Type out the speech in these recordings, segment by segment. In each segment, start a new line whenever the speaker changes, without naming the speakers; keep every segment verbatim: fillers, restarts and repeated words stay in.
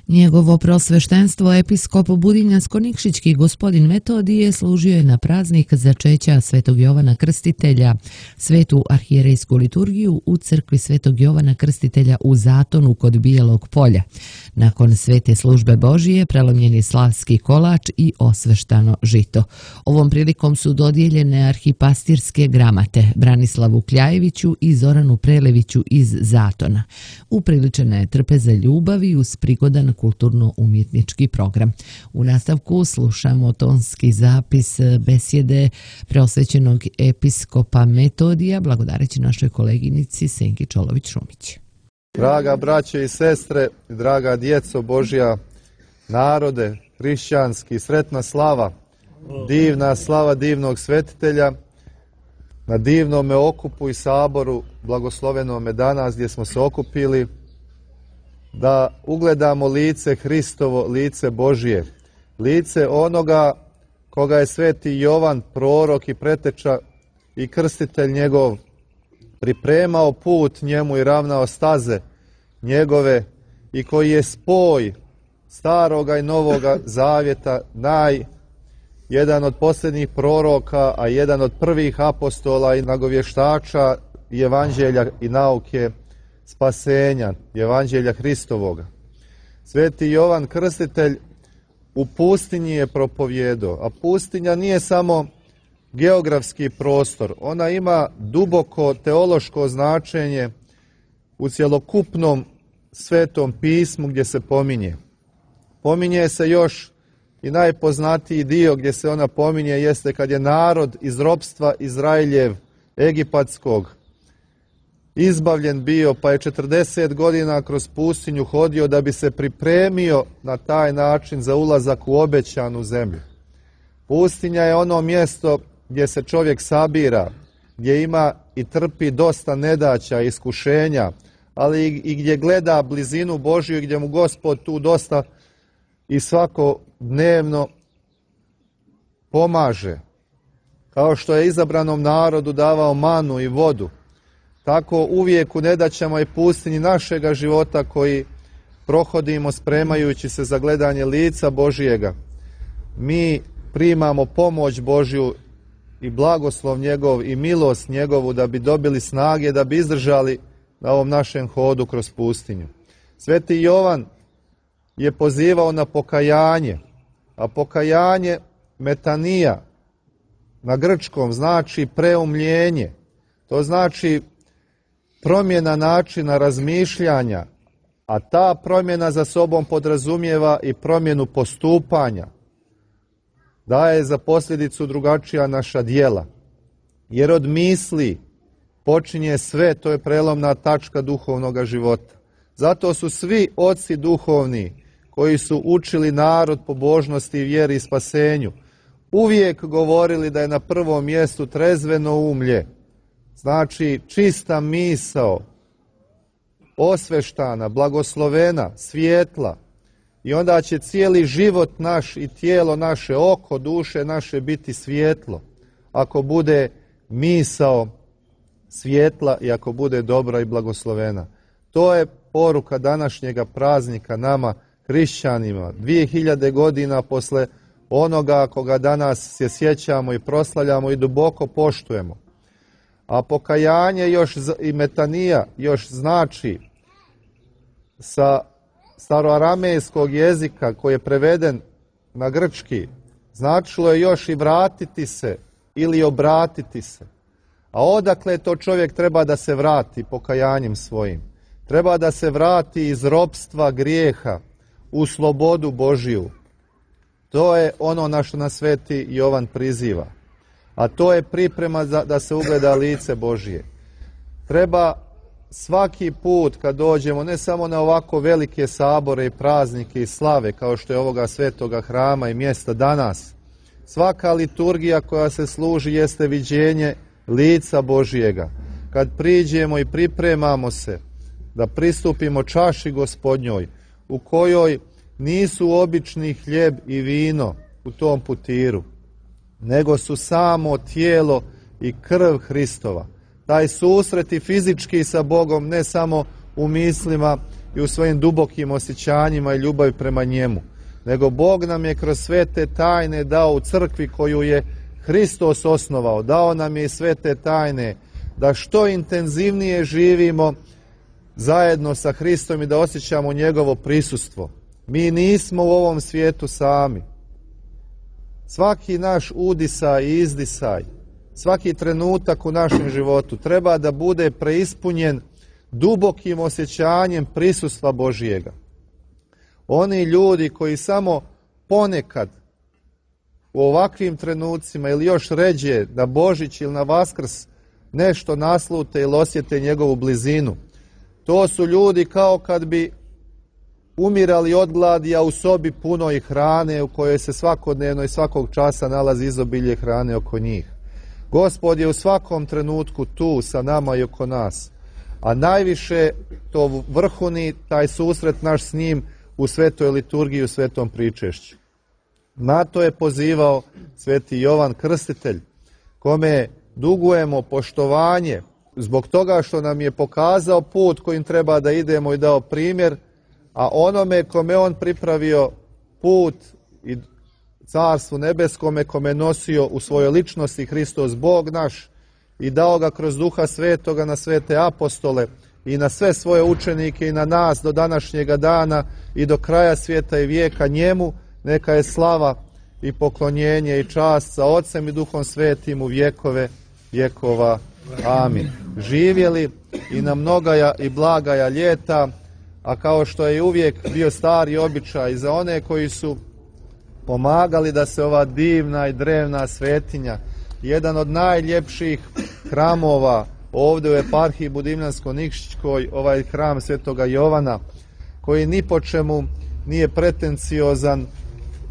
Njegovo prosveštenstvo episkop Budinjansko-Nikšićki gospodin Metodije služio je na praznik začeća Svetog Jovana Krstitelja, svetu arhijerejsku liturgiju u crkvi Svetog Jovana Krstitelja u Zatonu kod Bijelog polja. Nakon svete službe Božije prelomljen je slavski kolač i osveštano žito. Ovom prilikom su dodijeljene arhipastirske gramate Branislavu Kljajeviću i Zoranu Preleviću iz Zatona. Upriličena je trpeza ljubavi uz prigodan kulturno-umjetnički program. U nastavku slušamo tonski zapis besjede preosvećenog episkopa Metodija, blagodareći našoj koleginici Senki Čolović-Šumić.
Draga braćo i sestre, draga djeco Božja, narode, hrišćanski, sretna slava, divna slava divnog svetitelja, na divnome okupu i saboru, blagoslovenome danas gdje smo se okupili, da ugledamo lice Hristovo, lice Božje, lice onoga koga je sveti Jovan, prorok i preteča i krstitelj njegov, pripremao put njemu i ravnao staze njegove i koji je spoj staroga i novoga zavjeta, naj, jedan od posljednjih proroka, a jedan od prvih apostola i nagovještača i evanđelja i nauke spasenja, evanđelja Hristovoga. Sveti Jovan Krstitelj u pustinji je propovjedao, a pustinja nije samo geografski prostor, ona ima duboko teološko značenje u cjelokupnom svetom pismu gdje se pominje. Pominje se još i najpoznatiji dio gdje se ona pominje jeste kad je narod iz ropstva Izraeljev egipatskog izbavljen bio, pa je četrdeset godina kroz pustinju hodio da bi se pripremio na taj način za ulazak u obećanu zemlju. Pustinja je ono mjesto gdje se čovjek sabira, gdje ima i trpi dosta nedaća, iskušenja, ali i gdje gleda blizinu Božju, gdje mu Gospod tu dosta i svakodnevno pomaže. Kao što je izabranom narodu davao manu i vodu, tako uvijek u nedaćama i pustinji našega života koji prohodimo spremajući se za gledanje lica Božijega, mi primamo pomoć Božju i blagoslov njegov i milost njegovu da bi dobili snage, da bi izdržali na ovom našem hodu kroz pustinju. Sveti Jovan je pozivao na pokajanje, a pokajanje metanija na grčkom znači preumljenje. To znači promjena načina razmišljanja, a ta promjena za sobom podrazumijeva i promjenu postupanja. Daje za posljedicu drugačija naša djela. Jer od misli počinje sve, to je prelomna tačka duhovnog života. Zato su svi oci duhovni koji su učili narod pobožnosti, vjeri i spasenju uvijek govorili da je na prvom mjestu trezveno umlje. Znači čista misao, osveštana, blagoslovena, svijetla. I onda će cijeli život naš i tijelo naše, oko, duše naše biti svijetlo. Ako bude misao svijetla i ako bude dobra i blagoslovena. To je poruka današnjega praznika nama, hrišćanima. Dvije hiljade godina posle onoga koga danas se sjećamo i proslavljamo i duboko poštujemo. A pokajanje još i metanija još znači sa staroaramejskog jezika koji je preveden na grčki, značilo je još i vratiti se ili obratiti se. A odakle to čovjek treba da se vrati pokajanjem svojim? Treba da se vrati iz ropstva grijeha u slobodu Božiju. To je ono na što nas sveti Jovan priziva. A to je priprema za, da se ugleda lice Božije. Treba svaki put kad dođemo, ne samo na ovako velike sabore i praznike i slave, kao što je ovoga svetoga hrama i mjesta danas, svaka liturgija koja se služi jeste viđenje lica Božijega. Kad priđemo i pripremamo se da pristupimo čaši Gospodnjoj, u kojoj nisu obični hljeb i vino u tom putiru, nego su samo tijelo i krv Hristova. Taj susret i fizički sa Bogom, ne samo u mislima i u svojim dubokim osjećanjima i ljubavi prema njemu, nego Bog nam je kroz sve te tajne dao u crkvi koju je Hristos osnovao. Dao nam je i sve te tajne da što intenzivnije živimo zajedno sa Hristom i da osjećamo njegovo prisustvo. Mi nismo u ovom svijetu sami. Svaki naš udisaj i izdisaj, svaki trenutak u našem životu treba da bude preispunjen dubokim osjećanjem prisustva Božijega. Oni ljudi koji samo ponekad u ovakvim trenucima ili još ređe na Božić ili na Vaskrs nešto naslute ili osjete njegovu blizinu, to su ljudi kao kad bi umirali od gladi, a u sobi punoj hrane u kojoj se svakodnevno i svakog časa nalazi izobilje hrane oko njih. Gospod je u svakom trenutku tu sa nama i oko nas, a najviše to vrhuni taj susret naš s njim u svetoj liturgiji, u svetom pričešću. Na to je pozivao sveti Jovan Krstitelj, kome dugujemo poštovanje zbog toga što nam je pokazao put kojim treba da idemo i dao primjer, a onome kome on pripravio put i carstvu nebeskome, kome nosio u svojoj ličnosti Hristos Bog naš i dao ga kroz Duha Svetoga na svete apostole i na sve svoje učenike i na nas do današnjega dana i do kraja svijeta i vijeka, njemu neka je slava i poklonjenje i čast sa Otcem i Duhom Svetim u vjekove vjekova. Amin. Živjeli i na mnogaja i blagaja ljeta, a kao što je uvijek bio stari običaj za one koji su pomagali da se ova divna i drevna svetinja, jedan od najljepših hramova ovdje u eparhiji Budimljansko-Nikšićkoj, ovaj hram svetoga Jovana, koji ni po čemu nije pretenciozan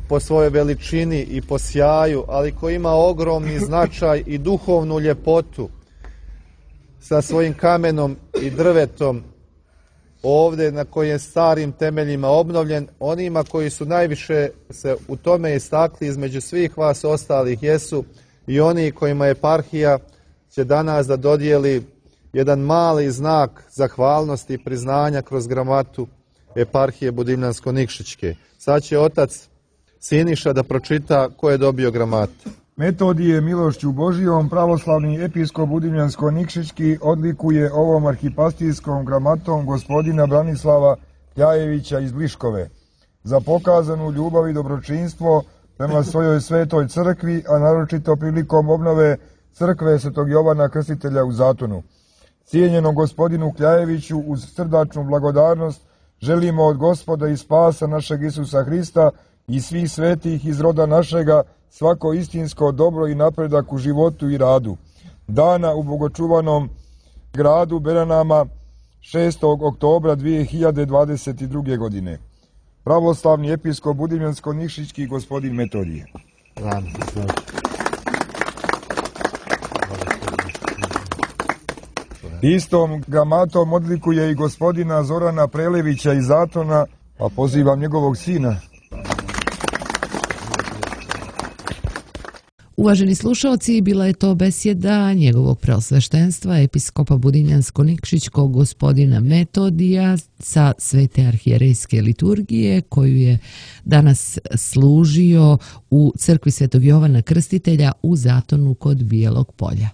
po svojoj veličini i po sjaju, ali koji ima ogromni značaj i duhovnu ljepotu sa svojim kamenom i drvetom ovdje na kojem je starim temeljima obnovljen. Onima koji su najviše se u tome istakli između svih vas ostalih jesu i oni kojima eparhija će danas da dodijeli jedan mali znak zahvalnosti i priznanja kroz gramatu eparhije Budimljansko-Nikšićke. Sad će otac Siniša da pročita ko je dobio gramatu.
Metodije milošću Božijom pravoslavni episkop Budimljansko-Nikšićki odlikuje ovom arhipastijskom gramatom gospodina Branislava Kljajevića iz Bliškove za pokazanu ljubav i dobročinstvo prema svojoj svetoj crkvi, a naročito prilikom obnove crkve svetog Jovana Krstitelja u Zatonu. Cijenjenom gospodinu Kljajeviću uz srdačnu blagodarnost želimo od Gospoda i spasa našeg Isusa Hrista i svih svetih iz roda našega svako istinsko dobro i napredak u životu i radu. Dana u bogočuvanom gradu Beranama šestog oktobra dvije hiljade dvadeset druge. godine. Pravoslavni episkop Budimljansko-Nikšićki gospodin Metodije. Istom gramatom odlikuje i gospodina Zorana Prelevića iz Zatona, pa pozivam njegovog sina.
Uvaženi slušalci, bila je to besjeda njegovog preosveštenstva episkopa Budimljansko-Nikšićkog gospodina Metodija sa svete arhijerejske liturgije koju je danas služio u crkvi svetog Jovana Krstitelja u Zatonu kod Bijelog polja.